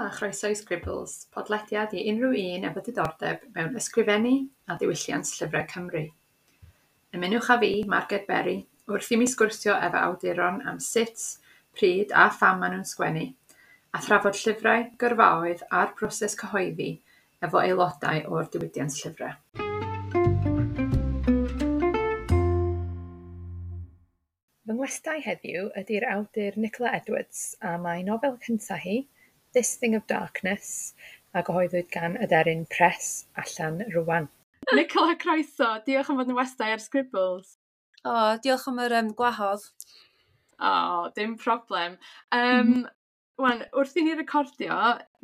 a chroeso i Scribbles, podlediad i unrhyw un efo diddordeb mewn ysgrifennu a diwylliant llyfrau Cymru. Ymunwch â fi, Marged Berry, wrth i mi sgwrsio efo awduron am sut, pryd a pham maen nhw'n sgwennu, a thrafod llyfrau, gyrfaoedd a'r broses cyhoeddi efo aelodau o'r diwydiant llyfrau. Fy ngwestai heddiw ydy'r awdur Nicola Edwards, a mae nofel cyntaf hi, This Thing of Darkness, a gyhoeddwyd gan Aderyn Press allan rwan. Nicola, croeso. Diolch am fod yn westai ar Scribbles. O, oh, diolch am yr gwahodd. O, oh, dim problem. Wan, wrth i ni recordio,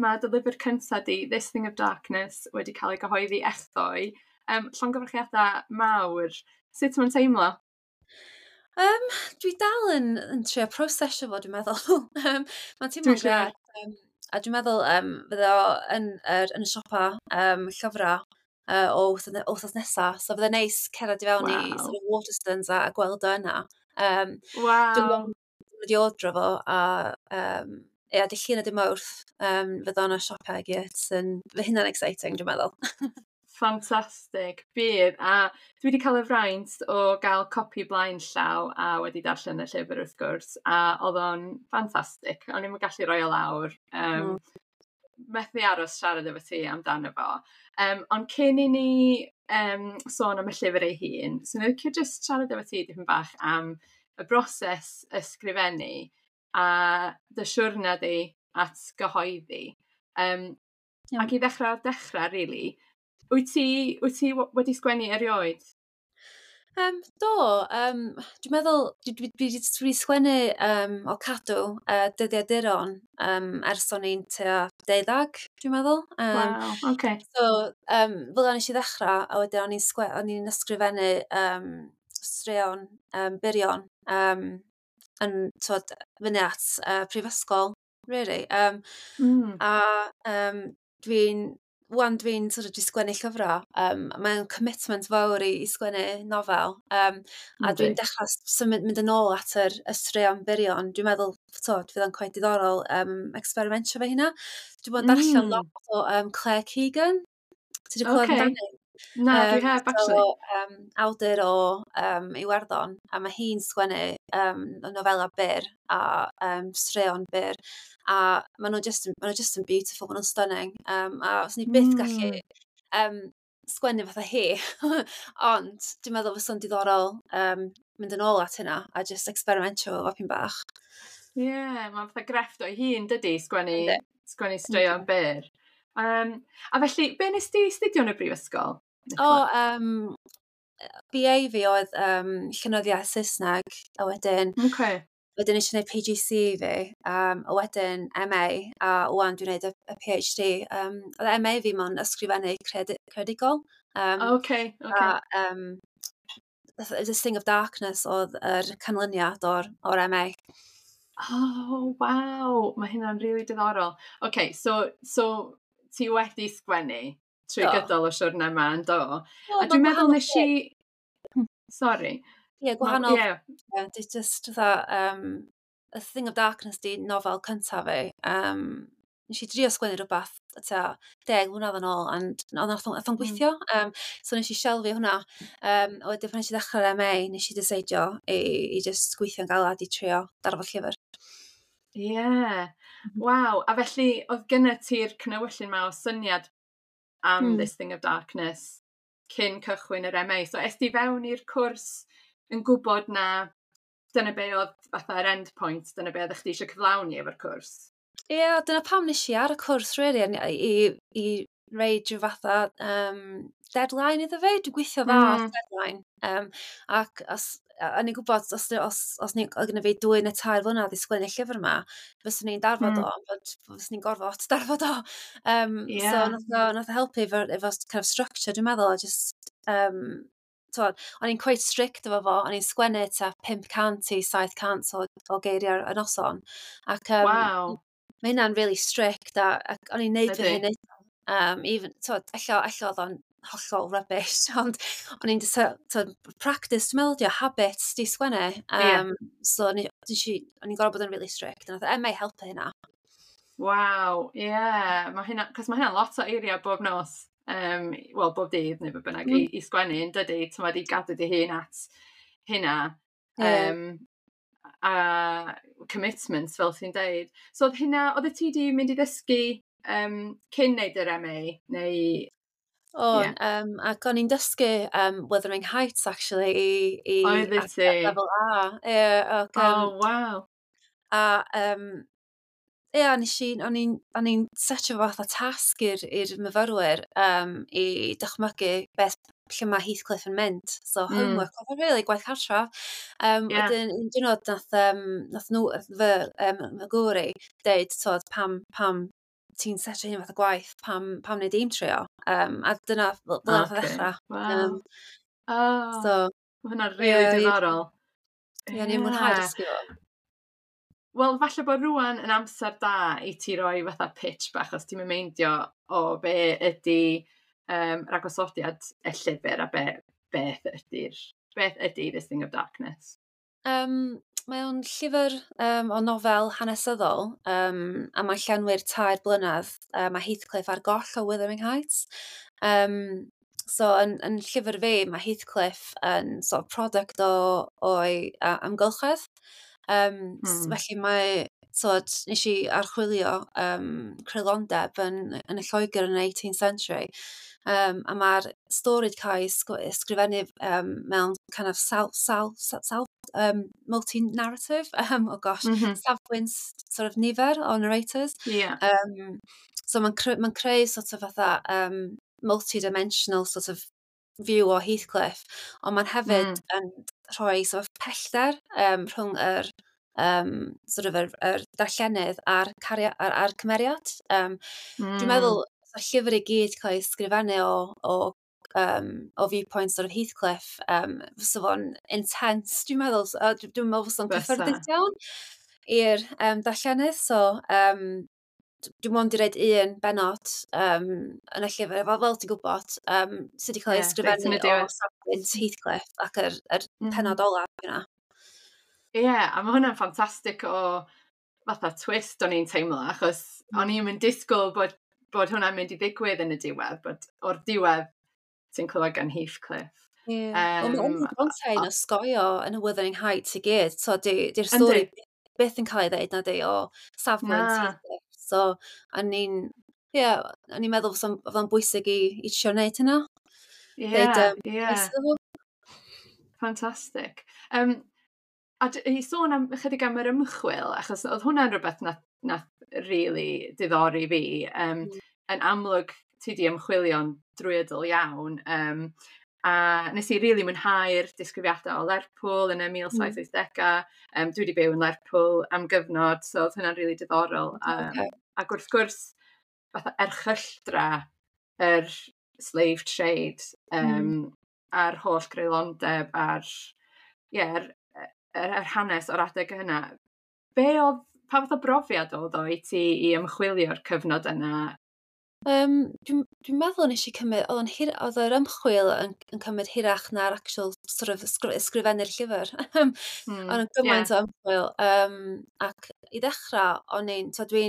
mae dy lyfr cyntaf di, This Thing of Darkness, wedi cael ei gyhoeddi echddoe. Llongyfarchiadau mawr. Sut mae'n teimlo? Dwi dal yn trio prosesio fo, dwi'n meddwl. Mae'n teimlo'n grêt. A dwi'n meddwl fydde o yn y siopa llyfrau o wythnos nesaf. So fydde'n neis cerdded i fewn i sort of Waterstones a gweld o yna. Wow. Dwi'n wedi ordro fo a ia, dy Llun a dy Mawrth fydde o'n y siopau i gyd. Fydd hynna'n exciting, dwi'n meddwl. Ffantastig, bydd. A dwi wedi cael y fraint o gael copi blaen llaw a wedi darllen y llyfr wrth gwrs, a oedd o'n ffantastig. O'n i'm yn gallu rhoi o lawr. Methu aros siarad efo ti amdano fo. Ond cyn i ni sôn am y llyfr ei hun, so ni'n licio jyst siarad efo ti dipyn bach am y broses ysgrifennu a dy siwrna di at gyhoeddi. Ac i ddechrau o'r dechrau, really, wyt ti wedi sgwennu erioed? Do, dwi'n meddwl, dwi wedi sgwennu o cadw dyddiaduron ers o'n i'n tua 12, dwi'n meddwl. Wow, okay. So, fel nes i ddechrau, a wedyn o'n i'n ysgrifennu straeon byrion yn twod, fyny at prifysgol, really. A dwi'n sort of sgwennu llyfrau, mae'n commitment fawr i sgwennu nofel, a dwi'n dechrau symud mynd yn ôl at yr straeon byrion. Dwi'n meddwl, to, fydd o'n quite diddorol experimentio fe hynna. Dwi'n bod yn darllen lot o Claire Keegan. Ti wedi clywed amdani? Na, dwi heb, actually. So, awdur o Iwerddon, a mae hi'n sgwennu nofela byr a straeon byr, a maen nhw just yn beautiful, maen nhw'n stunning. A os ni byth gallu sgwennu fatha hi, ond dwi'n meddwl fysa'n diddorol mynd yn ôl at hynna a just experimentio fo pyn bach. Ie, yeah, mae'n fatha grefft o'i hun, dydy, sgwennu straeon byr. A felly, be nes di astudio yn y brifysgol? O, BA fi oedd llenyddiaeth Saesneg, a wedyn wedyn nes i wneud PGC fi, a wedyn MA, a wan dwi'n gwneud y PhD. Oedd MA fi mewn ysgrifennu creadigol. Okay. A, This Thing of Darkness oedd yr canlyniad o'r MA. Oh, waw! Mae hynna'n really diddorol. Okay, so ti wedi sgwennu trwy gydol o siwrna yma, yn do? A dwi'n meddwl nes i... Sorry. Ie, gwahanol. Yeah. Just fatha, A Thing of Darkness di nofel cyntaf fi. Nes i drio sgwennu rhywbeth tua 10 mlynedd yn ôl, and nath o'n gweithio. So nes i shelfio hwnna. A wedyn pan nes i ddechrau'r MA, nes i deceidio i just gweithio'n galad i trio darfod llyfr. Ie. Yeah. Waw. A felly, oedd gynna ti'r cnewyllyn ma o syniad am This Thing of Darkness cyn cychwyn yr MA. So, es di fewn i'r cwrs yn gwybod na dyna be oedd fatha'r end point, dyna be oedd chdi eisiau cyflawni efo'r cwrs? Ie, yeah, dyna pam nes i ar y cwrs, really, i reid rhyw fatha deadline iddo fe. Dwi'n gweithio dda ar deadline. Ac o'n i'n gwybod, os ni, oedd gynna fi 2 neu 3 flynedd i sgwennu llyfr yma, fyswn i'n darfod o, ond fyswn i'n gorfod darfod o. So nath o helpu efo kind of structure, dwi'n meddwl, a just, o'n i'n quite strict efo fo, o'n i'n sgwennu tua 500 i 700 o geiriau y noson. Ac, wow. Mae hynna'n really strict, ac o'n i'n neud fy hyn. Even, ella oedd o'n hollol rubbish, ond o'n i'n practice, dwi'n meddwl, habits di sgwennu. So o'n i'n gorfod bod yn really strict, a nath MA helpu hynna. Waw, ie. Yeah. Mae hynna, cos mae hynna'n lot o eiriau bob nos, wel, bob dydd neu beth bynnag, i sgwennu, yn dydy, ti'n i gadw dy hun at hynna. Yeah. A commitment, fel ti'n deud. So oedd hynna, oedd ti di mynd i ddysgu cyn neud yr MA, neu? O, yeah. Ac o'n i'n dysgu Wuthering Heights, actually, i Oeddet ti? Lefel A. Yeah, ac, Oh, wow. A ie, nes i, o'n i'n setio fath o tasg i'r myfyrwyr i dychmygu beth lle mae Heathcliff yn mynd. So homework, oedd o'n really gwaith cartra. Wedyn, un diwrnod nath nhw, fy gŵr i, deud, tod, pam ti'n setio hyn fath o gwaith, pam wneud i'n trio? A dyna, fel nath o ddechrau. Oh, so, mae hwnna'n really diddorol. Ie, yeah, ni'n mwynhau dysgu fo. Wel, falle bod rwan yn amser da i ti roi fatha pitch bach, os ti'n meindio o be ydy rhagosodiad y llyfr a beth ydy This Thing of Darkness. Mae o'n llyfr o nofel hanesyddol a mae'n llenwi'r 3 blynedd. Mae Heathcliff ar goll o Wuthering Heights. So yn llyfr fi, mae Heathcliff yn sort of product o'i amgylchedd. Felly mae, so, nes i archwilio creulondeb yn y Lloegr yn y 18th century. A mae'r stori wedi cael ei ysgrifennu mewn kind of self multi-narrative, oh gosh, safbwynt sort of nifer o narrators. So mae'n cre ma creu sort of fatha multi-dimensional sort of view o Heathcliff, ond mae'n hefyd yn rhoi sort of pellter rhwng yr sort of yr darllenydd a'r cymeriad. Dwi'n meddwl, y llyfr i gyd cael ei ysgrifennu o viewpoint sort of Heathcliff, fysa fo'n intense, dwi'n meddwl, dwi'n meddwl fysa fo'n cyffyrddus iawn i'r darllenydd, so dwi'n mond i reid un benod yn y llyfr, fel ti'n gwybod, sydd wedi cael ei ysgrifennu o safbwynt Heathcliff ac yr penod olaf yna. Ie, yeah, a mae hwnna'n ffantastig o fatha twist o'n i'n teimlo, achos o'n i'n mynd disgwyl bod hwnna'n mynd i ddigwydd yn y diwedd, bod o'r diwedd ti'n clywed gan Heathcliff. Ie. Yeah. Wel, mae Bronte'n osgoio yn y Wuthering Heights i gyd, so di'r stori byth yn cael ei ddeud na di o safbwynt Heathcliff. So, o'n i'n, ie, yeah, o'n i'n meddwl fysa'n bwysig i trio wneud hynna. Ie. Fantastic. A i sôn am ychydig am yr ymchwil, achos oedd hwnna'n rhywbeth nath really diddori fi. Yn amlwg, ti di ymchwilio'n drwyadl iawn. A nes i really mwynhau'r disgrifiadau o Lerpwl yn y 1780au. Dwi wedi byw yn Lerpwl am gyfnod, so oedd hwnna'n really diddorol. Ac wrth gwrs, fatha erchylltra yr slave trade a'r holl greulondeb a'r, yeah, yr hanes o'r adeg yna. Pa fath o brofiad oedd o i ti i ymchwilio'r cyfnod yna? Dwi'n meddwl nes i cymryd, oedd yr ymchwil yn cymryd hirach na'r actual sort of ysgrifennu'r llyfr. Oedd yn gymaint o ymchwil. Ac i ddechrau, o'n i'n, so dwi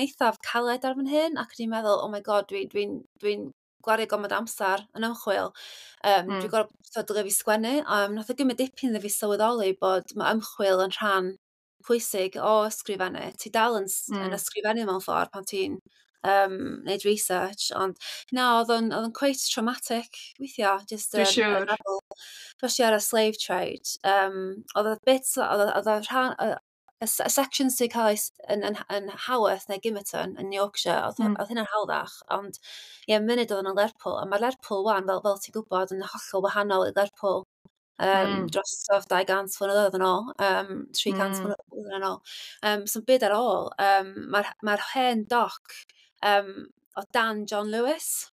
eithaf caled ar fy hyn, ac o'n i'n meddwl, "Oh my God, dwi'n dwi, dwi gwario gormod amser yn ymchwil. Dwi'n gorfod, so, dylai fi sgwennu." Nath o gymryd dipyn iddo fi sylweddoli bod mae ymchwil yn rhan pwysig o ysgrifennu. Ti dal yn ysgrifennu mewn ffordd pan ti'n neud research, ond na, oedd o'n quite traumatic weithiau, just Dwi'n siŵr. Especially ar y slave trade. Oedd y bits, oedd y rhan, y sections sy'n cael ei yn Haworth neu Gimmerton yn Yorkshire, oedd hynna'n hawddach, ond ie, yeah, munud oedd yn Lerpwl, a mae Lerpwl wan, fel ti'n gwybod, yn hollol wahanol i Lerpwl dros sort of 200 flynyddoedd yn ôl, 300 flynyddoedd yn ôl. So byd ar ôl, mae'r hen doc o dan John Lewis.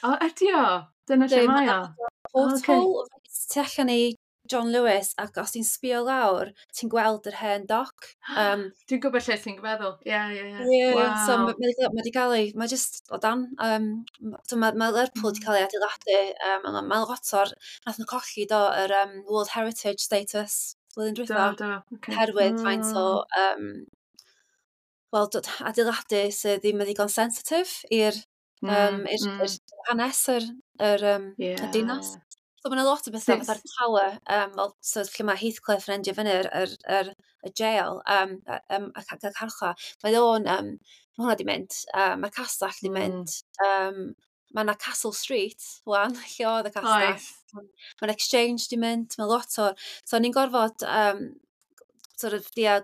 O, ydi o? Dyna lle mae o? Porthole, tu allan i John Lewis, ac os ti'n sbio lawr, ti'n gweld yr hen doc. Dwi'n gwybod lle ti'n meddwl. Ie. Yeah, so mae wedi cael ei, mae just o dan. So mae Lerpwl wedi cael ei adeiladu. Mae lot o'r, nath nhw colli do yr World Heritage status blwyddyn dwytha. Do, okay. Herwydd faint o Wel, adeiladu sydd ddim yn ddigon sensitif i'r hanes yr y dinas. So mae'n lot o bethau fatha'r tower, fel, so lle mae Heathcliff yn endio fyny yr y jail a carchar. Mae hwnna di mynd, mae'r castell di mynd. Mae yna Castle Street, wan, lle oedd y castell. Mae'r Exchange di mynd, mae lot o. So ni'n gorfod sort of, dia,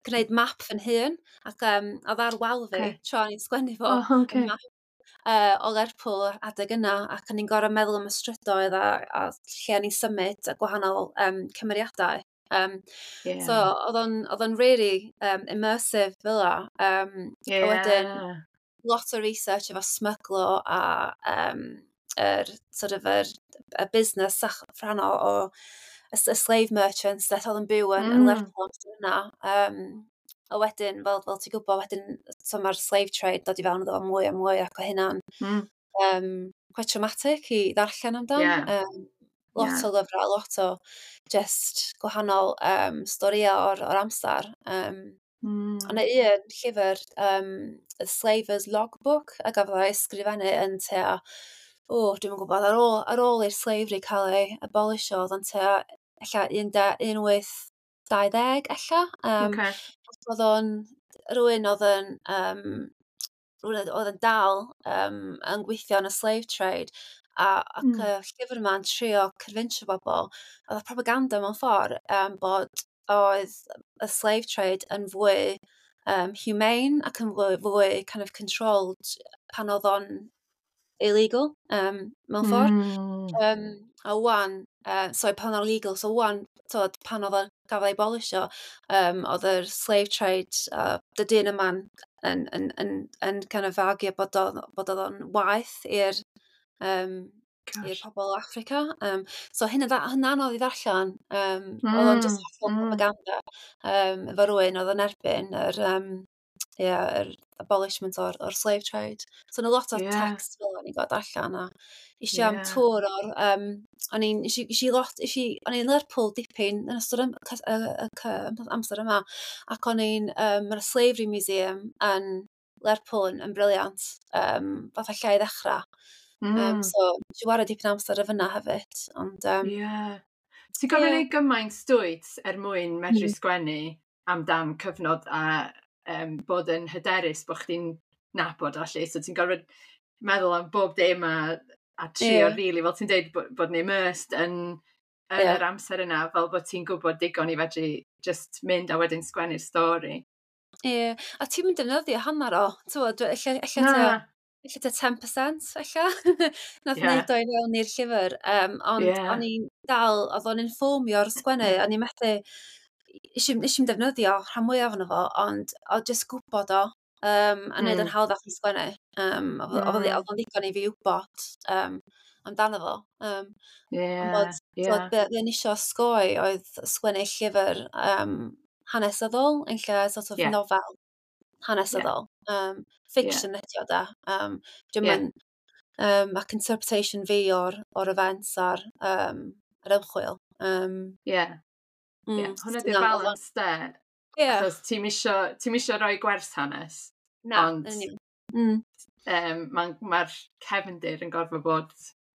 gwneud map fy hun, ac oedd ar wal fi, tra o'n i'n sgwennu fo, map o Lerpwl adeg yna, ac o'n i'n gorfod meddwl am y strydoedd a lle o'n i'n symud a gwahanol cymeriadau. So oedd o'n really immersive fel 'a. A wedyn lot o research efo smyglo a yr, sort of y busnes rhan o y slave merchants that oedd yn byw yn Lerpwl amser yna. A wedyn, fel ti'n gwybod, wedyn, so mae'r slave trade dod i fewn iddo fo mwy a mwy ac o hynna'n quite traumatic i ddarllen amdan. Lot o lyfrau, lot o just gwahanol storïau o'r amser. Ond un llyfr, The Slaver's Logbook, a gafodd ei ysgrifennu yn tua, o, dwi'm yn gwybod, ar ôl i'r slavery cael ei abolisho, oedd o'n tua, ella 1820 ella. Oedd o'n rhywun oedd yn dal yn gweithio yn y slave trade ac y llyfr yma'n trio convincio bobl, oedd y propaganda mewn ffordd bod oedd y slave trade yn fwy humane ac yn fwy kind of controlled pan oedd o'n illegal mewn ffordd. A wan, sorry, pan oedd o'n legal, so wan, tod, pan oedd o'n gafodd ei abolisho, oedd yr slave trade, y dyn yma'n yn kind of argue bod oedd o'n waeth i'r pobl o Africa. So hynna anodd i ddarllen. Oedd o'n just hollol propaganda efo rhywun oedd yn erbyn yeah, yr abolishment o'r slave trade. So yna lot o text fel o'n i'n gweld allan a eisiau am tour o'r... O'n i'n eisiau lot, eisiau, o'n i'n Lerpwl dipyn yn ystod y amser yma ac o'n i'n, mae'r Slavery Museum yn Lerpwl yn brilliant, fatha lle i ddechrau. So, nes i wario dipyn o amser ar fyna hefyd, ond Ie. Ti'n gorfod gwneud gymaint dwyt er mwyn medru sgwennu amdan cyfnod a bod yn hyderus bod chdi'n nabod allu. So ti'n gorfod meddwl am bob dim a trio really, fel ti'n deud, bod yn immersed yn yr amser yna, fel bod ti'n gwybod digon i fedru just mynd a wedyn sgwennu'r stori. Ie, a ti'n mynd defnyddio hanner o, ti'n ella Na. ella tua 10% ella, nath wneud o i fewn i'r llyfr, ond o'n i'n dal, oedd o'n informio'r sgwennu, o'n i'n methu, nes i'm defnyddio rhan mwyaf ohono fo, ond oedd jyst gwybod o, a wneud yn hawddach i sgwennu. Oedd o'n ddigon i fi wybod amdano fo. Ond bod, t'wod, be o'n i isio osgoi oedd sgwennu llyfr hanesyddol yn lle sort of nofel hanesyddol. Fiction ydi o da. Dwi'm yn, ac interpretation fi o'r events a'r yr ymchwil. Hwnna di'r balance de. Achos ti'm isio rhoi gwers hanes. Na, ond yn union. Ma cefndir yn gorfod bod.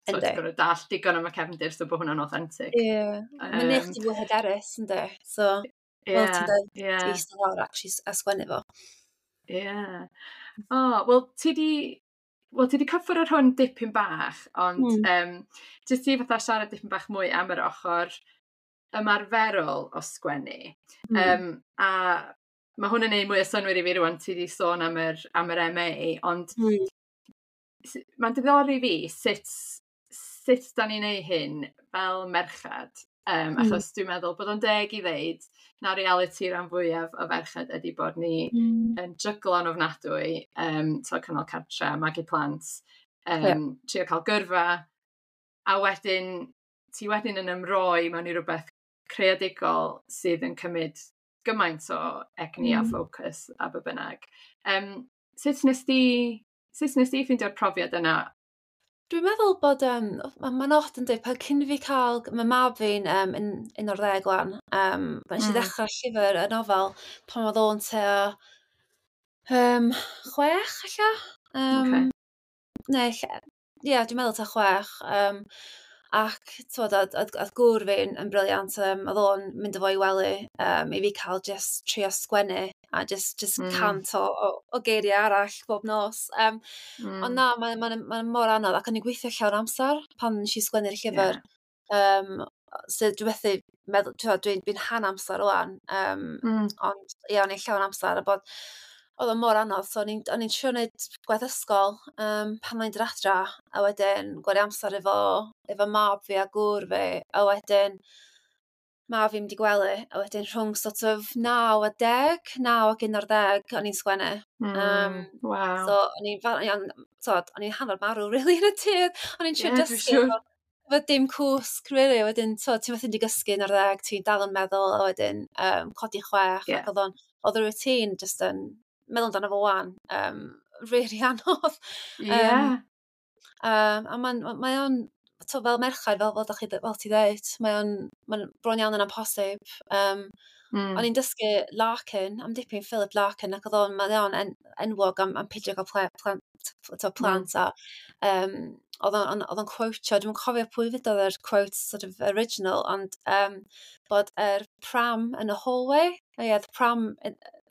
So ti'n gorfod dallt digon am y cefndir so bod hwnna'n authentic. Ie. Mae'n neud chdi fwy hyderus, yndi? So, fel ti'n dweud, eistedd lawr actually a sgwennu fo. Ie. O, wel, ti di cyffwrdd ar hwn dipyn bach, ond jyst i fatha siarad dipyn bach mwy am yr ochr ymarferol o sgwennu. A mae hwn yn neud mwy o synnwyr i fi rwan, ti di sôn am yr MA, ond mae'n diddori fi sut da ni'n neud hyn fel merched. Achos dwi'n meddwl bod o'n deg i ddeud na reality rhan fwyaf o ferched ydy bod ni yn jyglo'n ofnadwy, so cynnal cartre, magu plant, trio cael gyrfa, a wedyn ti wedyn yn ymroi mewn i rhywbeth creadigol sydd yn cymryd gymaint o egni a ffocws a be bynnag. Sut nes di ffeindio'r profiad yna? Dwi'n meddwl bod, mae'n od yn dweud, pan cyn i fi cael, mae mab fi'n yn 11 wan, pan nes i ddechrau llyfr, y nofel, pan oedd o'n tua 6 alla. Neu, ie, dwi'n meddwl ta 6. Ac, t'wod, oedd gŵr fi'n yn brilliant. Oedd o'n mynd â fo i wely i fi cael just trio sgwennu a just 100 o geiriau arall bob nos. Ond na, mae'n ma mor anodd ac o'n i'n gweithio llawn amser pan nes i sgwennu'r llyfr. So dwi methu meddwl, t'wod, dwi'n rhan amser rwan, ond ie, o'n i'n llawn amser a bod oedd o mor anodd, so o'n i'n trio wneud gwaith ysgol pan o'n i'n dod adra, a wedyn gwario amser efo mab fi a gŵr fi, a wedyn mab fi'n mynd i gwely, a wedyn rhwng sort of 9 a 10, 9 ac 11, o'n i'n sgwennu. So o'n i'n, t'od, o'n i'n hanner marw, really, yn y dydd. O'n i'n trio Ie, dwi'n dysgu siŵr. efo dim cwsg, really. Wedyn, so, ti'n methu di gysgu yn ar 10, ti'n dal yn meddwl, a wedyn codi 6, ac oedd y routine just yn, meddwl amdano fo wan, really anodd. A mae o'n, to, fel merched, fel ti ddeud, mae'n bron iawn yn amhosib. O'n i'n dysgu Larkin, am dipyn Philip Larkin, ac oedd o'n, mae o'n enwog am peidio cael plant, to, plant a oedd o'n quote-io, dwi'n cofio pwy fydd yr quote sort of original, ond bod yr pram yn y hallway, oh yeah, the pram,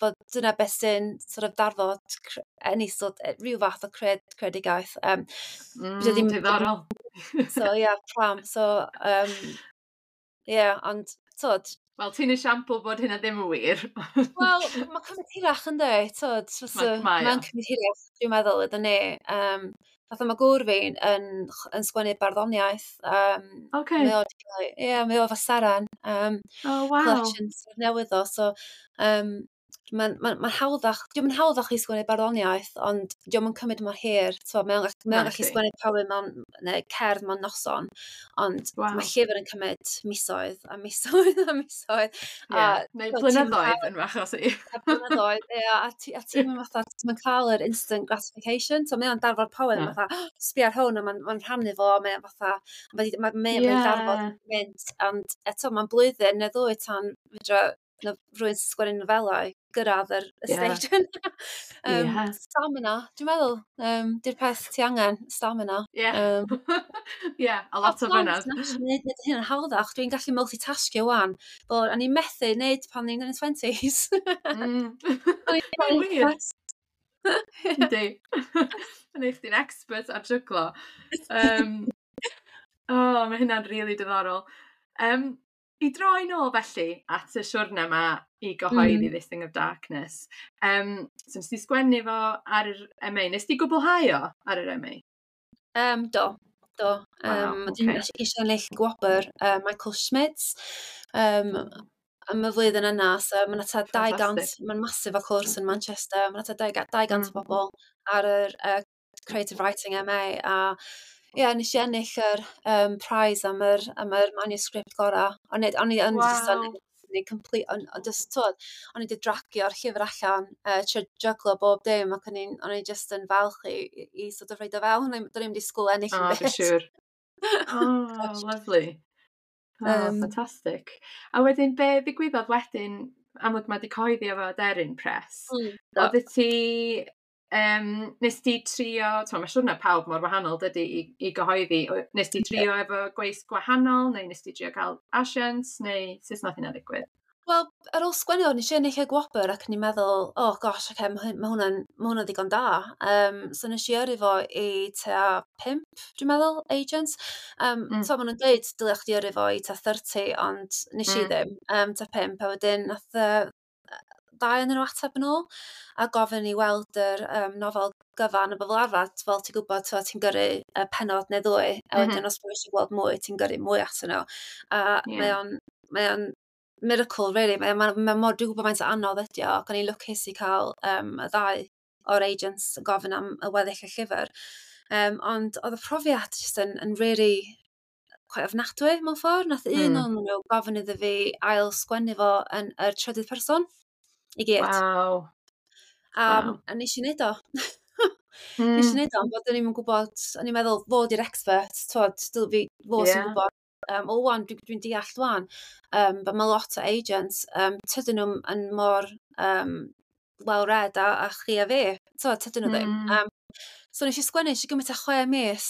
bod dyna beth sy'n sort of darfod any sort, rhyw fath o creadigaeth. Diddorol. So yeah, pram. So, yeah, ond, tod, Wel, ti'n esiampl bod hynna ddim yn wir. Wel, mae'n cymryd hirach yn dweud, tod, Mae o. Mae'n cymryd hirach, dwi'n meddwl, ydyn ni. Fatha mae gŵr fi'n yn sgwennu barddoniaeth. Mae o, ie, mae o efo Seren. Collections newydd o, so mae'n ma hawddach, diolch yn hawddach i sgwennu barddoniaeth, ond diolch yn cymryd mor hir. So, mae o'n gallu sgwennu poem mewn, neu cerdd mewn noson, ond mae llyfr yn cymryd misoedd a misoedd a misoedd. A, neu blynyddoedd yn fach os i. A blynyddoedd, ie, a ti'n mynd fatha, ti'n cael yr instant gratification, so mae o'n darfod poem, fatha, sbia ar hwn, a mae'n ma rhannu fo, mae'n fatha, mae'n darfod mynd, ond eto mae'n blwyddyn neu ddwy tan fedra na rhywun sy'n sgwennu nofelau gyrraedd yr stage yna. Stamina, dwi'n meddwl. Di'r peth ti angen, stamina. Yeah, a lot o fyna. Neud hyn yn hawddach. Dwi'n gallu multitaskio wan. Bod, a ni'n methu neud pan ni'n yn y 20s. Mae'n wir. Yndi. Yn eich chdi'n expert ar jyglo. Oh, mae hynna'n really diddorol. I droi nôl felly at y siwrne yma i gyhoeddi This Thing of Darkness. So nes ti sgwennu fo ar yr MA. Nes ti gwblhau o ar yr MA? Do. Dwi'n eisiau ennill gwobr Michael Schmidt am y flwyddyn yna, so mae'n ata 200, mae'n massive o cwrs yn Manchester, mae'n ata 200 o bobl ar yr Creative Writing MA, a ie, yeah, nes i ennill yr prize am yr manuscript gorau. O'n i just o'n i complete, on just, twod, o'n i wedi dragio'r llyfr allan, trio jyglo bob dim, ac o'n i just yn falch i sort of rhoid o fewn. Do'n i'm disgwyl ennill yn byd. Dwi'n siŵr. Oh, lovely. Oh, fantastic. A wedyn, be ddigwyddodd wedyn, amlwg mae wedi cyhoeddi efo Aderyn Press. Oedd ti nes ti trio, ti'n mae'n siŵr na pawb mor wahanol dydy i gyhoeddi, nes ti trio efo gweisg gwahanol, neu nes ti trio cael asiant, neu sut nath hynna ddigwydd? Wel, ar ôl sgwennu o, nes i ennill y gwobr ac o'n i'n meddwl, oh gosh, okay, ma hwnna'n ddigon da. So nes i yrru fo i tua 5, dwi'n meddwl, agents. So maen nhw'n dweud dylech chdi yrru fo i tua 30, ond nes i ddim, tua 5, a wedyn nath ddau yn nhw ateb yn ôl a gofyn i weld yr nofel gyfan, a fel arfer, fel ti'n gwybod, ti'n gyrru y pennod neu ddwy, a wedyn os maen eisiau gweld mwy, ti'n gyrru mwy atyn nhw. A mae o'n miracle, really. Mae mor, dwi'n gwybod faint o anodd ydi o, ac o'n i'n lwcus i cael y ddau o'r agents yn gofyn am y weddill y llyfr. Ond oedd y profiad just yn really quite ofnadwy mewn ffordd. Nath un o'n nhw gofyn iddo fi ail sgwennu fo yn yr trydydd person i gyd. A, a nes i wneud o. Nes i wneud o, ond bod o'n i'n gwybod, o'n i'n meddwl fod i'r expert, twod, fi fo sy'n gwybod. O wan, dwi deall wan, but mae lot o agents, tydyn nhw'n yn mor well read a chi a fi. So, tydyn nhw ddim. So nes i sgwennu, nes i gymryd tua 6 mis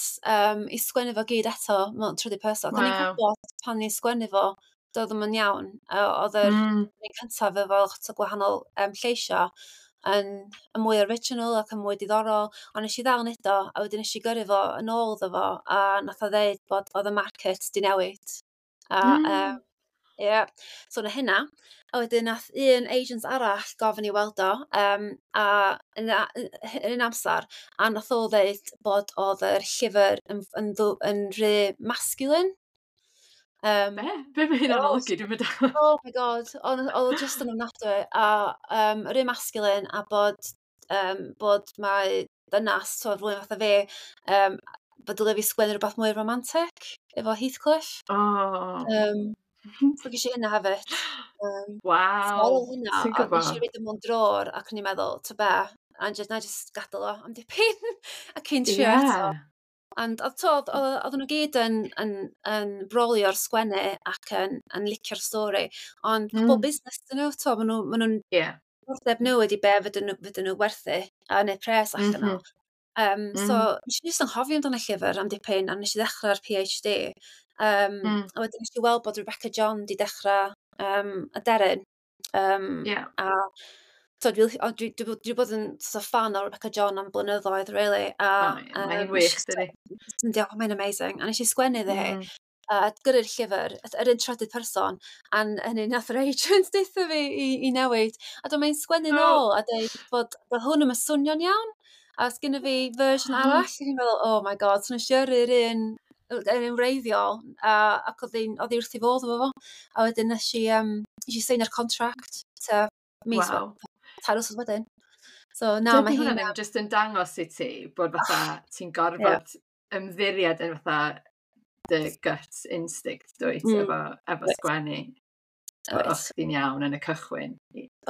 i sgwennu fo gyd eto mewn trydydd person. O'n i'n gwybod pan ni'n sgwennu fo, doedd ddim yn iawn. Oedd yr un cyntaf efo lot o gwahanol lleisio yn mwy original ac yn mwy diddorol. Ond nes i ddal neud o, a wedyn nes i gyrru fo yn ôl iddo fo, a nath o ddeud bod oedd y market di newid. A, yeah. So na hynna. A wedyn nath un agent arall gofyn i weld o, a yn un amser, a nath o ddeud bod oedd yr llyfr yn rhy masculine. Be? Be mae hynna'n olygu? Dwi'n mynd. Oh my God, oedd o just yn ofnadwy. A rhy masculine a bod mae dynas, so rhywun fatha fi, bod dylai fi sgwennu rhywbeth mwy romantic efo Heathcliff. Oh. So ges i hynna hefyd. Waw. So ar ôl hynna, Ti'n nes gwbod? i reid o mewn drôr ac o'n i'n meddwl, ta be, a just, na i just gadael o am dipyn a cyn trio eto. And oedd to, oedden nhw gyd yn brolio'r sgwennu ac yn licio'r stori. Ond pobl busnes dyn nhw, to, ma nhw'n diddordeb nhw ydi be fydden nhw werthu a neud pres allan o. So, nes i jyst anghofio amdano y llyfr am dipyn, a nes i ddechrau'r PhD. A wedyn nes i weld bod Rebecca John di dechrau Aderyn. A so, dwi bod yn sort of fan o Rebecca John am blynyddoedd, really. A, Oh, ie, mae'n wych, dydi? Yndi, oh, mae'n amazing. A nes i sgwennu iddi hi. A gyrru'r llyfr, yr un trydydd person, a hynny nath yr agent deutha fi i newid. A dyma hi'n sgwennu nôl a deud bod hwn ddim yn swnio'n iawn. A os gynna fi version arall, a ni'n meddwl, "Oh my God," so nes i yrru'r un wreiddiol, ac oedd hi wrth ei fodd efo fo. A wedyn nes i seinio'r contract ta mis 3 wsos wedyn. So na, mae Dydy hwnna hi'n ddim jyst yn dangos i ti bod fatha ti'n gorfod ymddiried yn fatha dy gut instinct, dwyt, efo sgwennu. O'ch chdi'n iawn yn y cychwyn.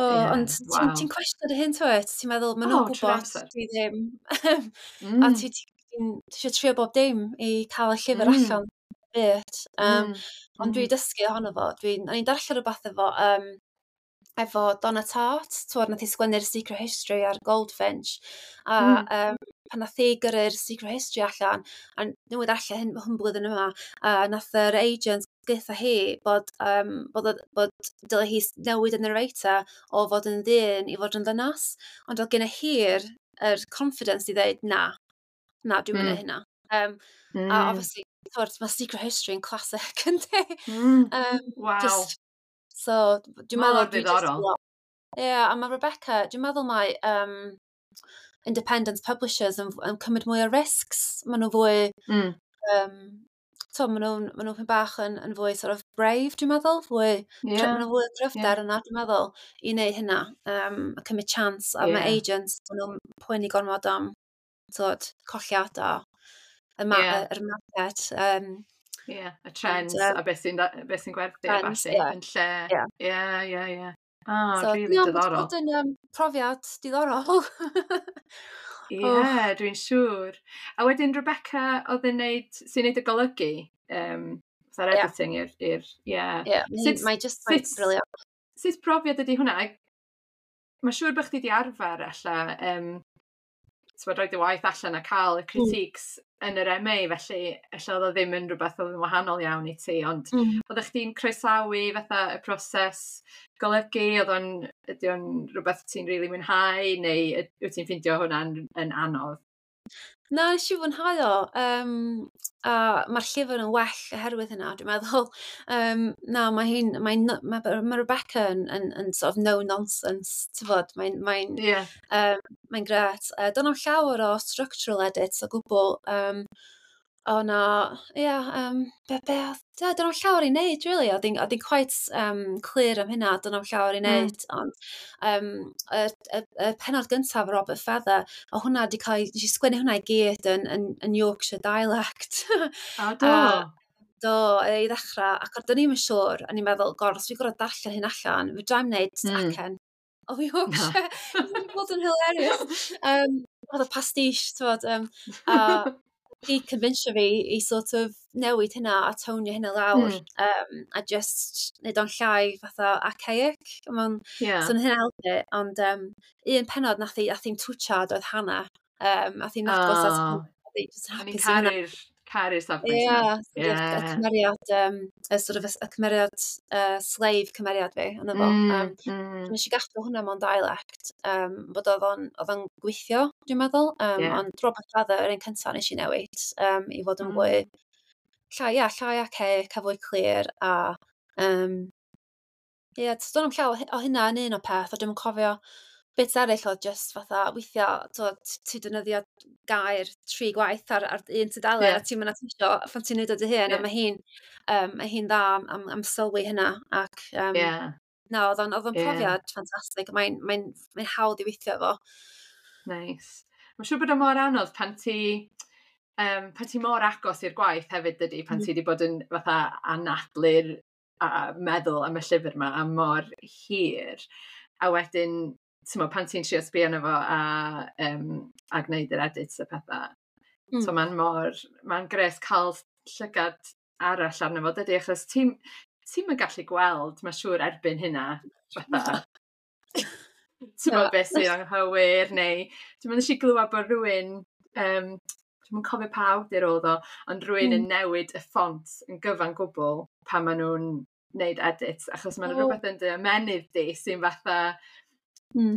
O, ond ti'n ti cwestiwn dy hun, twyd? Ti'n meddwl, maen nhw'n O, trwy'r gwybod amser. dwi ddim. A ti eisiau trio bob dim i cael y llyfr allan byd. Ond dwi dysgu ohono fo. O'n i'n darllen rhywbeth efo Donna Tartt, twod, nath hi sgwennu'r Secret History ar Goldfinch. A pan nath hi gyrru'r Secret History allan, a newydd darllen hyn blwyddyn yma, a nath yr agent deutha hi bod dyle hi newid y narrator o fod yn ddyn i fod yn ddynas. Ond oedd gen hi'r yr confidence i ddeud, "Na, na, dwi'n mynd hynna." A obviously, twod, mae Secret History yn classic, yndi? Just, so, dwi'n Mor meddwl dwi just ddiddorol. Ie, yeah, a mae Rebecca, dwi'n meddwl mae independent publishers yn cymryd mwy o risks. Maen nhw fwy, to, maen nhw bach yn fwy sort of brave, dwi'n meddwl. Fwy, maen nhw fwy o gryfder yna, dwi'n meddwl, i wneud hynna. A cymryd chance. A mae agents, maen nhw'n poeni gormod am, tyd, colliadau, yr market. Ie, y trends Ond, a beth sy'n gwerthu a trends, ballu ie. yn lle. Ie. Ah, So, really ie, mae 'di diddorol. bod yn profiad diddorol. Ie, Oh. dwi'n siŵr. A wedyn Rebecca oedd yn neud, sy'n neud y golygu, fatha'r editing i'r, ie. Ie, mae just, mae'n brilliant. Sut profiad ydy hwnna? Mae'n siŵr bod chdi 'di arfer ella, ti'n rhoi dy waith allan a cael y critiques yn yr MA, felly ella oedd o ddim yn rhywbeth oedd yn wahanol iawn i ti, ond oeddech chdi'n croesawu fatha y proses golygu, ydy o'n rhywbeth ti'n rili mwynhau, neu wyt ti'n ffeindio hwnna'n yn anodd? Na, nes i fwynhau o. A mae'r llyfr yn well oherwydd hynna, dwi'n meddwl. Na, mae hi'n, mae, mae, mae Rebecca yn sort of no nonsense, ti'n fod, mae'n mae'n grêt. Do'n am llawer o structural edits o gwbl. O na, ie, be oedd, ie, do'n am llawer i wneud, really. Oedd hi'n quite clear am hynna, do'n am llawer i wneud. Ond y pennod gyntaf, Robert Feather, o hwnna di cael, nes i sgwennu hwnna i gyd yn Yorkshire dialect. O, do? Do, i ddechrau, ac o'n i'm yn siŵr, o'n i'n meddwl, "God, os dwi'n gorfod darllen hyn allan, fedra i'm wneud acen o Yorkshire." Mae'n bod yn hilarious. Oedd y pastiche, ti'n fod, a Di convincio fi i sort of newid hynna a tonio hynna lawr a just neud o'n llai fatha archaic. Ma'n so hynna helpu, ond un penod nath hi'm twtsiad oedd Hannah. Nath hi'n agos at Oh. Just hapus i hynna. Caru'r safbwynt. Ie, y cymeriad, y sort of, y cymeriad, slave cymeriad fi, yna fo. Nes i gadw hwnna mewn dialect, bod oedd o'n gweithio, dwi'n meddwl. Ond Robert Feather, yr un cyntaf nes i newid, i fod yn fwy, llai, ia, llai archaic a fwy clir, a, ie, yeah, am llaw o hynna yn un o peth, a dwi'n cofio bits eraill oedd just fatha, weithiau, ti defnyddio gair tri gwaith ar un tudalen a ti'n mynd at pan ti'n neud o dy hun, a mae hi'n dda am sylwi hynna, ac na, oedd o'n profiad ffantastig, mae'n hawdd i weithio efo. Nice. Mae'n siŵr bod o mor anodd pan ti mor agos i'r gwaith hefyd dydy, pan ti wedi bod yn fatha anadlu'r a meddwl am y llyfr yma am mor hir. A wedyn, ti'n pan ti'n trio sbio arno fo a gwneud yr edits a pethau. So mae'n gres cael llygad arall arno fo, dydy, achos ti'n ti gallu gweld, mae'n siŵr erbyn hynna, fatha, ti'n bod beth sy'n anghywir, neu dwi'n mynd eisiau glywed bod rhywun, dwi'n cofio pa awdur oedd o, ond rhywun yn newid y ffont yn gyfan gwbl pan maen nhw'n wneud edits, achos mae'n rhywbeth yn dy ymenydd di sy'n fatha,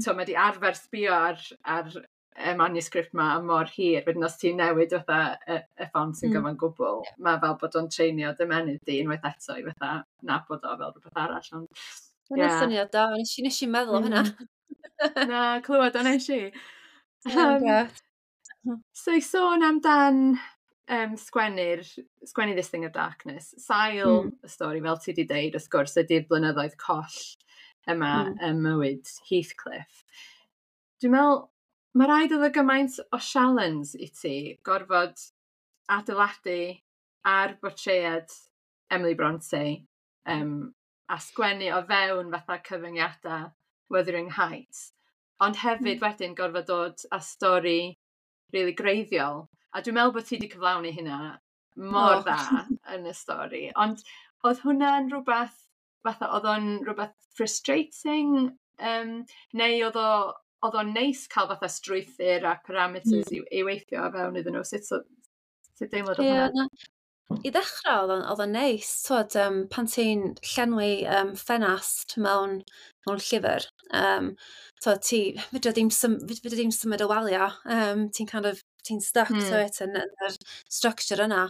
so mae di arfer sbio ar y manuscript ma am mor hir, wedyn os ti'n newid fatha y ffont yn gyfan gwbl, mae fel bod o'n treinio dy ymenydd di unwaith eto i fatha nabod o fel rhywbeth arall. Ond, yeah. Syniad da, nes i meddwl am hynna. Na, clywed o nes i. So i sôn amdan sgwennu This Thing of Darkness, sail y stori, fel ti wedi deud, wrth gwrs, ydy'r blynyddoedd coll yma ym mywyd Heathcliff. Dwi'n meddwl, mae rhaid oedd o gymaint o challenge i ti gorfod adeiladu ar bortread Emily Bronte a sgwennu o fewn fatha cyfyngiadau Wuthering Heights. Ond hefyd wedyn gorfod dod â stori really greiddiol. A dwi'n meddwl bod ti wedi cyflawni hynna mor dda yn y stori. Ond oedd hwnna'n rhywbeth, fatha, oedd o'n rhywbeth frustrating? Neu oedd o'n neis cael fatha strwythur a parameters i weithio o fewn iddyn nhw? Sut deimlad oedd hwnna? I ddechrau oedd o'n neis, twod, pan ti'n llenwi ffenast mewn llyfr, twod, ti, fedra ddim symud y walia, ti'n kind of, ti'n stuck to it yn yr structure yna.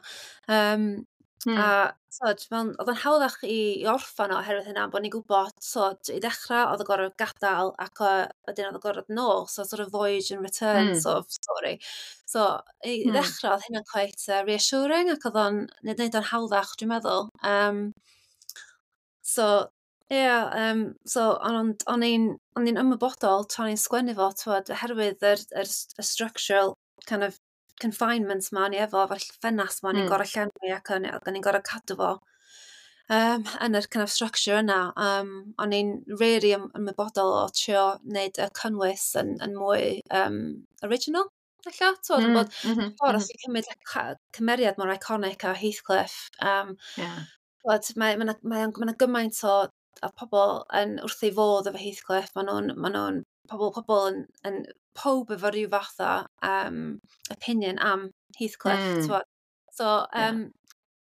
A twod, oedd o'n hawddach i orffan o oherwydd hynna, bod ni'n gwybod, twod, i ddechrau oedd o gorfod gadael ac wedyn oedd o gorfod nôl, so sort of voyage and return sort of story. So, i ddechrau oedd hynna'n quite reassuring ac oedd o'n neud o'n hawddach, dwi'n meddwl. So, ie, yeah, so o'n i'n ymwybodol tra o'n i'n sgwennu fo, twod, oherwydd yr structural kind of confinement ma ni efo, efo'r ffenast ma ni'n gorau llenwi ac o'n i'n gorau cadw fo yn yr kind of structure yna. O'n i'n really ymwybodol o trio wneud y cynnwys yn mwy original, ella. Twod, bod ffordd os ti'n cymryd cymeriad mor iconic a Heathcliff, twod, mae gymaint o pobl yn wrth ei fodd efo Heathcliff. Mae nhw'n pobl yn pob efo rhyw fath o opinion am Heathcliff. So,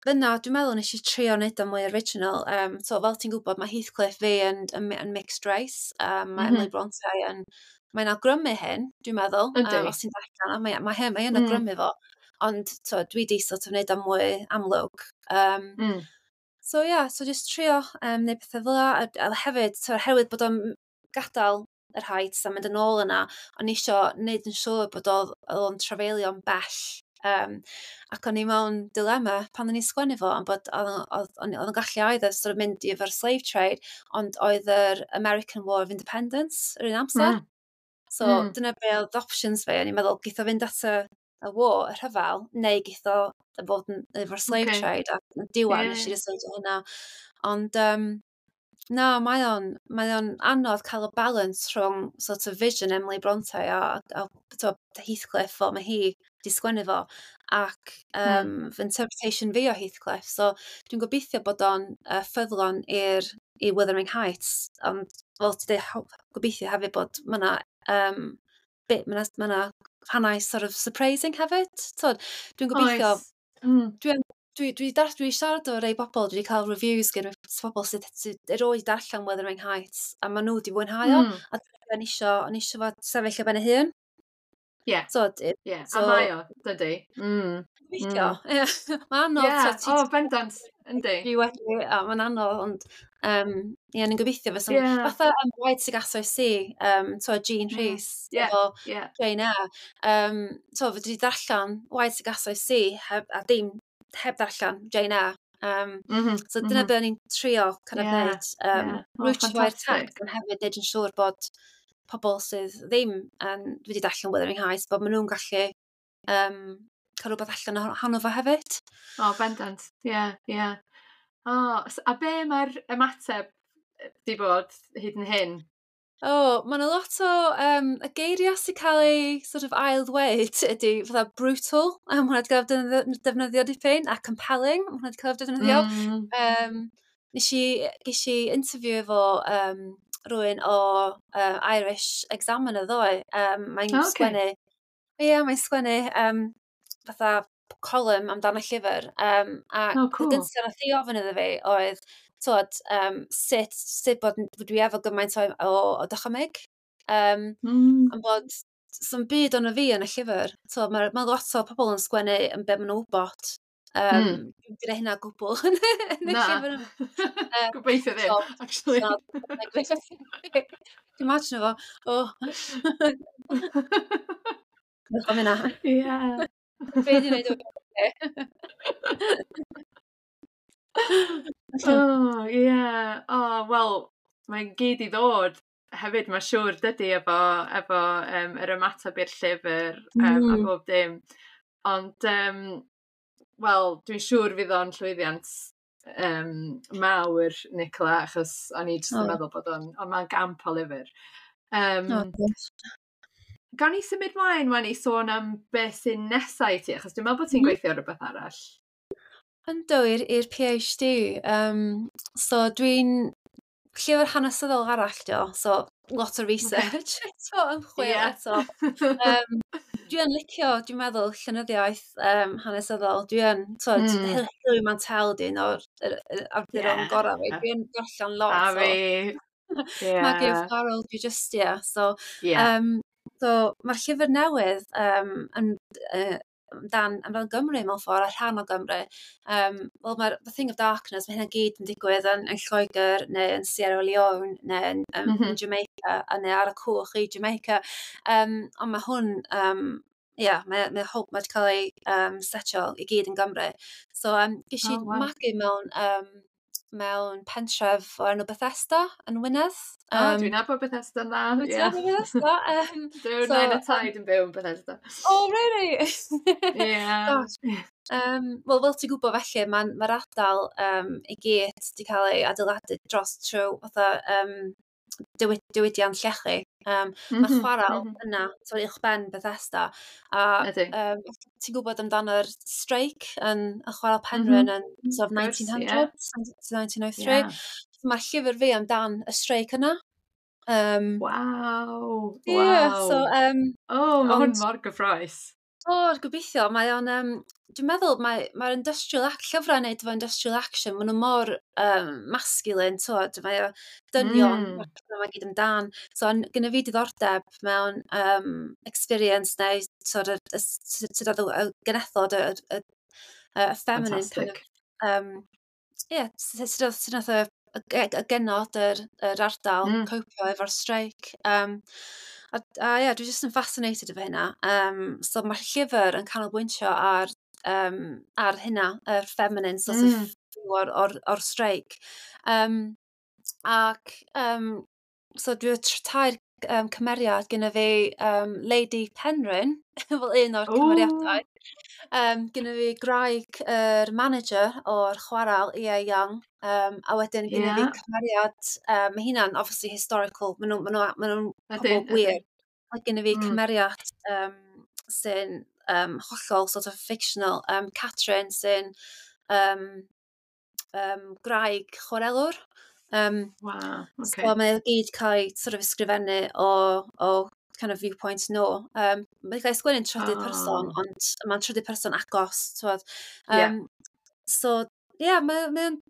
fyna, dwi'n meddwl nes i trio wneud o mwy original. So, fel ti'n gwybod, mae Heathcliff fi yn mixed race. Mae Emily Bronte yn... Mae'n awgrymu hyn, dwi'n meddwl. Os ti'n darllen, mae awgrymu fo. Ond so, dwi di sort of wneud o mwy amlwg. So yeah, so just trio neud pethau fel 'a. A hefyd, so, oherwydd bod o'n gadael yr Heights a mynd yn ôl yna, o'n i isio wneud yn siŵr bod oedd o'n trafeilio'n bell. Ac o'n i mewn dilemma pan o'n i'n sgwennu fo, ond bod oedd o'n gallu either sort of mynd i efo'r slave trade, ond oedd yr American War of Independence yr un amser. So dyna be oedd options fi, o'n i'n meddwl, geith o fynd at y war, y rhyfel, neu geith o fod yn, efo'r slave trade, a yn diwedd nes i decide hynna. Ond, Na, mae o'n anodd cael y balance rhwng sort of vision Emily Bronte a to, Heathcliff fel mae hi 'di sgwennu fo ac fy interpretation fi o Heathcliff. So dwi'n gobeithio bod o'n ffyddlon i Wuthering Heights, ond fel ti dweud, gobeithio hefyd bod mae 'na bit, ma' 'na rhannau sort of surprising hefyd. So, dwi'n gobeithio. Oes. Dwi siarad o rei bobl, dwi wedi cael reviews gen bobl sydd erioed darllen Wuthering Heights, a maen nhw wedi fwynhau o. A dwi'n isio, o'n isio fo sefyll ar ben ei hun. So, so, a mae o, dydy. Gobeithio, ie. Mae'n anodd. Yeah. O, bendant, yndi. Dwi wedi, a mae'n anodd, ond ie, ni'n gobeithio fysa. Fatha Wide Sargasso Sea, to, Jean Rhys, efo Jane Eyre. To, fedri di darllen Wide Sargasso Sea heb, a dim heb darllen Jane Eyre. So dyna be o'n i'n trio kind of neud. Oh, Rootio i'r text, ond hefyd neud yn siŵr bod pobl sydd ddim yn wedi darllen Wuthering Heights, bod maen nhw'n gallu cael rhywbeth allan ohono fo hefyd. O, bendant. Ie. O, a be mae'r ymateb di bod hyd yn hyn? O, oh, mae yna lot o y geiriau sy'n cael ei sort of ail ddweud ydy fatha brutal, a ma' hwnna wedi cael ei defnyddio dipyn, a compelling, ma' hwnna wedi cael ei defnyddio. Ges i interview efo rhywun o Irish Examiner ddoe. Mae'n sgwennu, ie, yeah, mae'n sgwennu fatha column amdano llyfr. A Oh, cool. y gyntaf nath hi ofyn iddo fi oedd, twod, sut bod dwi efo gymaint o dychymyg. Am bod sa'm byd ono fi yn y llyfr. So, mae lot o pobl yn sgwennu yn be maen nhw'n wybod. Dwi'n gwneud hynna gwbl yn y Na. llyfr yma. Gobeithio ddim, actually. So, dwi'n imagine fo. O. Diolch am hynna. Be di wneud o? Oh, ie. Oh, wel, mae'n gyd i ddod hefyd, mae'n siŵr, dydy, efo yr ymateb i'r llyfr a bob dim. Ond, wel, dwi'n siŵr fydd o'n llwyddiant mawr, Nicola, achos o'n i jyst yn meddwl bod o'n, ond mae'n gamp o lyfr. Oh, diolch. Gawn ni symud mlaen wan i sôn am beth sy'n nesau i ti, achos dwi'n meddwl bod ti'n gweithio ar rhywbeth arall. Yndw, i'r PhD. So dwi'n llyfr hanesyddol arall dio, so lot o research eto, ymchwil eto. Dwi yn licio, dwi'n meddwl, llenyddiaeth hanesyddol. Dwi yn, twod, Hilary Mantel di un o'r yr awduron gorau fi. Dwi yn darllen lot A o fi. Maggie O'Farrell, dwi just, yeah. So, so mae'r llyfr newydd yn, amdan Gymru mewn ffordd, a rhan o Gymru. Wel, mae'r The Thing of Darkness, mae hynna gyd yn digwydd yn Lloegr, neu yn Sierra Leone, neu yn Jamaica, a neu ar y cwch i Jamaica. Ond mae hwn, ie, mae wedi cael ei setio i gyd yn Gymru. So, ges i magu mewn pentref o'r enw Bethesda yn Wynedd. O, dwi'n nabod Bethesda yn dda. Wyt ti'n nabod Bethesda? Dwi'n So, nain a taid yn byw yn Bethesda. Oh, really? Yeah. Gosh. Wel, fel ti'n gwybod felly, mae'r ma ardal i gyd wedi cael ei adeiladu dros trwy fatha diwydiant llechi. Mae'r chwarel yna, so uwchben Bethesda. A ti'n gwybod amdano'r streic yn y chwarel Penrhyn yn sort of Wrth gwrs, ie. 1900s, 1903. Mae'r llyfr fi amdan y streic yna. Ie, so, Oh, mae hwn mor gyffrous. O, gobeithio. Mae o'n, dwi'n meddwl, mae'r industrial ac llyfrau yn neud efo industrial action, maen nhw mor masculine, twod, mae o dynion, mae gyd amdan. So, gynna fi diddordeb mewn experience neu sort of, sut oedd y genethod, y feminine kind of, Fantastic. ie, sut oedd y genod yr ardal copio efo'r streic. A ie, dwi jyst yn fascinated efo hynna. So mae'r llyfr yn canolbwyntio ar hynna, yr feminine sort of view o'r streic. Ac so dwi tair cymeriad. Gyda fi Lady Penrhyn, fel un o'r cymeriadau. Gyda fi gwraig yr manager o'r chwarel, E.A. Young. A wedyn gyda fi cymeriad, mae hynna'n obviously historical, maen nhw'n ma nhw pobl gwir. A gyda fi cymeriad sy'n hollol sort of fictional, Catherine, sy'n gwraig chwarelwr. So mae o gyd cael ei sort of ysgrifennu o kind of viewpoint nhw. Mae'n cael ei sgwennu'n trydydd person, ond mae'n trydydd person agos, t'wod. So, ie, yeah, mae o'n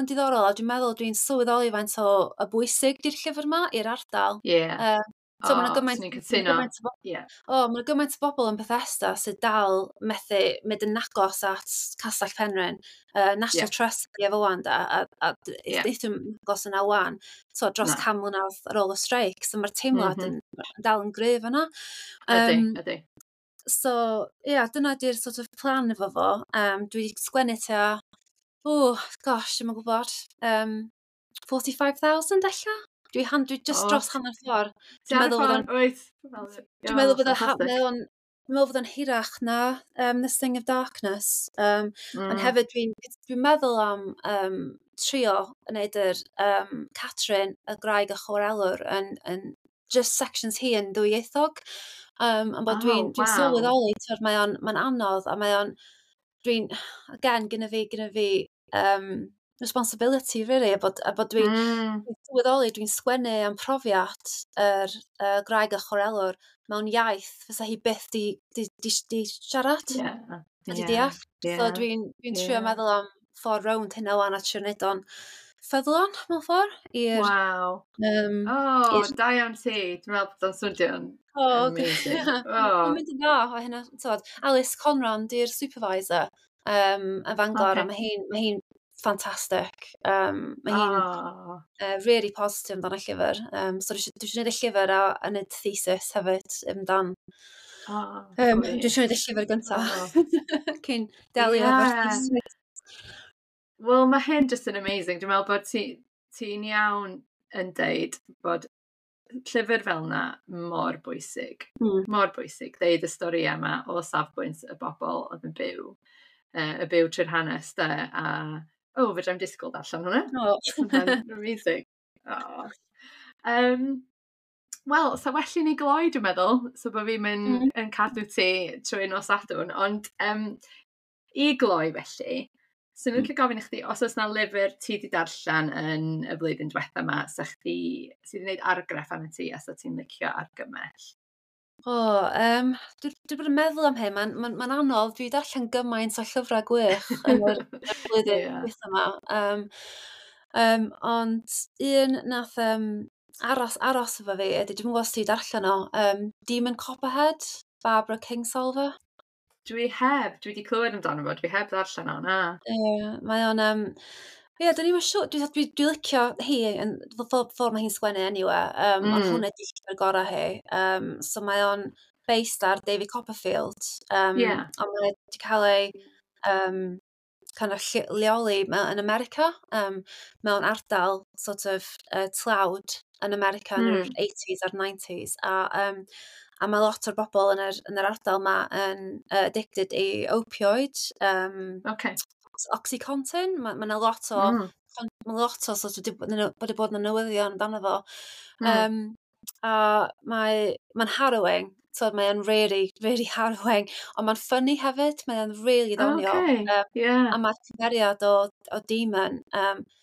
diddorol, a dwi'n meddwl dwi'n sylweddoli faint o y bwysig di'r llyfr yma i'r ardal. So oh, swn i'n cytuno. O, mae gymaint o bobl yn Bethesda sydd dal methu mynd yn agos at Castell Penrhyn. National Trust ydi efo wan da, a yeah. Agos yna wan. So dros Na. 100 mlynedd ar ôl y streic. So mae'r teimlad yn dal yn gryf yna. Ydy, ydy. So, ie, yeah, dyna di'r sort of plan efo fo. Dwi wedi sgwennu tua, oh, gosh, dwi'm yn gwybod, 45,000 ella? Dwi just dros hanner ffordd. Dwi'n meddwl bod o'n... Wyt. Dwi'n meddwl bod o'n hirach na The Sting of Darkness. Ond hefyd dwi meddwl am trio wneud yr Catherine, y graig y chwarelwr, yn just sections hi yn ddwyieithog. Ond bod dwi'n sylweddoli, twyd, mae anodd a mae o'n, dwi'n, again, gyda fi responsibility, really, a bod dwi'n dwi sylweddoli dwi'n sgwennu am profiad yr graig y chwarelwr mewn iaith fysa hi byth di siarad a di deall. So dwi'n trio meddwl am ffordd rownd hynna wan a trio wneud o'n ffyddlon mewn ffordd i'r Oh, da iawn ti. Dwi'n meddwl bod o'n swnio'n amazing. Oh. Mae'n mynd yn dda o hynna. Tywed, Alice Conran di'r supervisor yn Fangor, a mae hi'n ffantastig. Mae hi'n really positive amdano y llyfr. So dwi eisiau gwneud y llyfr a wneud thesis hefyd amdan. Dwi eisiau gwneud y llyfr gyntaf cyn delio efo'r thesis. Wel, mae hyn just yn amazing. Dwi'n meddwl bod ti'n iawn yn deud bod llyfr fel yna mor bwysig. Mor bwysig. Deud y stori yma o safbwynt y bobl oedd yn byw. Y byw trwy'r hanes, de. A, oh, fedra i'm disgwyl darllen hwnna. Oh. Hwnna'n amazing. Oh. Wel, sa well i ni gloi, dwi'n meddwl, so bod fi'n mynd yn cadw ti trwy nos Sadwrn, ond i gloi felly, so ni'n licio gofyn i chdi, os oes na lyfr ti wedi darllen yn y flwyddyn diwetha yma, sa chdi, sydd wedi gwneud argraff arno ti, a sa ti'n licio argymell? O, dwi bod yn meddwl am hyn, mae'n ma anodd. Dwi wedi darllen gymaint o llyfrau gwych yn yr flwyddyn diwetha yma. Ond un nath aros efo fi ydy, dwi'n gwybod os ti wedi darllen o, Demon Copperhead, Barbara Kingsolver. Dwi heb, dwi wedi clywed amdano fo, dwi heb ddarllen o, na. Ie, mae o'n... Ie, dwi ddim yn siŵr, dwi licio hi, yn ffordd mae hi'n sgwennu anyway, ond hwnna di llyfr gorau hi. So mae o'n based ar David Copperfield, ond mae wedi cael ei kind of leoli yn America, mewn ardal sort of tlawd yn America yn yr 80s a'r 90s. A mae lot o'r bobl yn yr ardal ma yn addicted i opioid, Oxycontin. Mae 'na lot o mae lot o sort of bod wedi bod yn y newyddion amdano fo. A mae'n harrowing. So mae'n really, really harrowing. Ond mae'n funny hefyd. Mae'n really ddoniol. A mae'r cymeriad o Demon,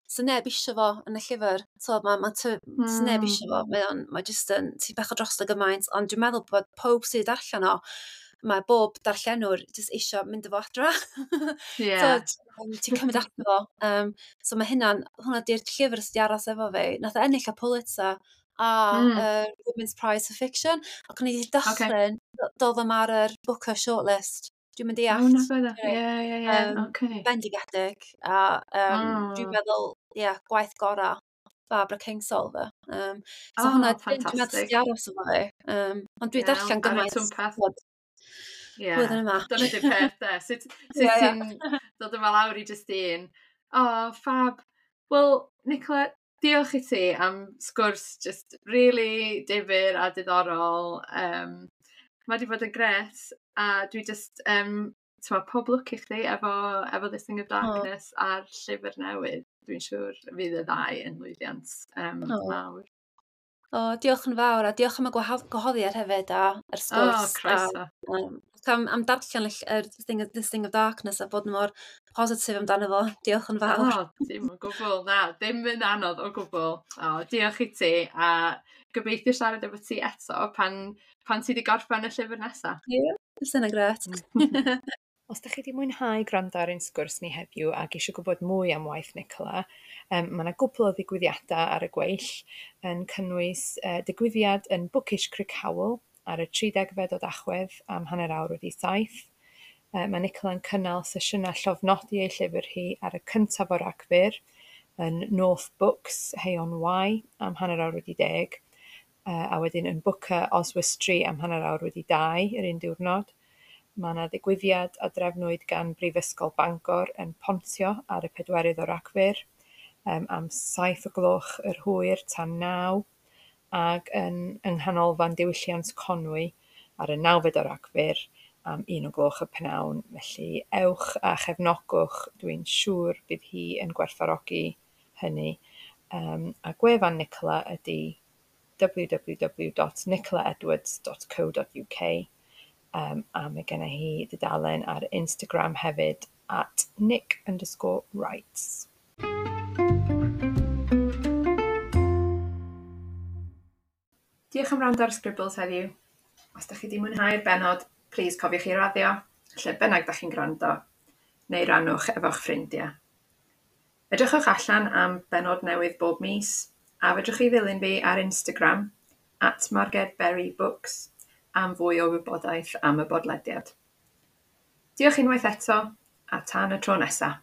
so neb isio fo yn y llyfr. So ma neb isio fo. Mae just yn, ti'n bach o drosto gymaint. Ond dwi'n meddwl bod pob sydd darllen o, mae bob darllenwr jyst isio mynd efo adra. So, ti'n cymryd ato fo. So mae hwnna di'r llyfr sydd wedi aros efo fi. Nath o ennill y Pulitzer a Women's Prize for Fiction. Ac o'n i wedi dychryn, doedd o'm ar yr Booker shortlist. Dwi'n mynd i O, na bydde. Ie. Bendigedig. A dwi'n meddwl, ie, yeah, gwaith gorau Barbara Kingsolver. So Oh, hwnna, dwi'n meddwl sydd ffantastig. wedi aros efo fi. Ond dwi darllen Iawn, ar y gymaint twmpath. t'mod, blwyddyn yma. Dyna di'r peth, de. Sut ti'n dod yma lawr i just un? O, oh, fab. Wel, Nicola, Diolch i ti am sgwrs just really difyr a diddorol. Mae wedi bod yn grêt a dwi jyst, t'mod, pob lwc i chdi efo This Thing of Darkness a'r llyfr newydd. Dwi'n siŵr fydd y ddau yn lwyddiant mawr. O, diolch yn fawr, a diolch am y gwahoddiad hefyd a yr sgwrs. O, croeso. A am darllen yr This Thing of Darkness a bod mor positif amdano fo. Diolch yn fawr. O, dim o gwbl. Na, ddim yn anodd o gwbl. O, diolch i ti, a gobeithio siarad efo ti eto pan ti wedi gorffen y llyfr nesaf. Ie, yeah, sy'n grêt. Os ydych chi wedi mwynhau gwrando ar ein sgwrs ni heddiw ac eisiau gwybod mwy am waith Nicola, mae yna gwpl o ddigwyddiadau ar y gweill yn cynnwys digwyddiad yn Bookish Crickhowell ar y 30fed o Dachwedd am 7:30. Mae Nicola'n cynnal sesiynau llofnodi ei llyfr hi ar y 1 o Ragfyr yn North Books, Hay-on-Wye, am 10:30, a wedyn yn Booker Oswestry am 2:30 yr un diwrnod. Mae yna ddigwyddiad a drefnwyd gan Brifysgol Bangor yn Pontio ar y 4 o Ragfyr am 7 o gloch yr hwyr tan 9, ac yng Nghanolfan Diwylliant Conwy ar y 9fed o Ragfyr am 1 o gloch y pnawn. Felly ewch a chefnogwch, dwi'n siŵr bydd hi yn gwerthfawrogi hynny. A gwefan Nicola ydy www.nicolaedwards.co.uk, a mae genna hi dudalen ar Instagram hefyd @nick_writes. Diolch am wrando ar Scribbles heddiw. Os ydych chi wedi mwynhau'r bennod, plis cofiwch i raddio, lle bynnag da chi'n gwrando, neu rannwch efo'ch ffrindiau. Edrychwch allan am bennod newydd bob mis, a fedrwch chi ddilyn fi ar Instagram, @margedberrybooks, am fwy o wybodaeth am y bodlediad. Diolch unwaith eto, a tan y tro nesaf.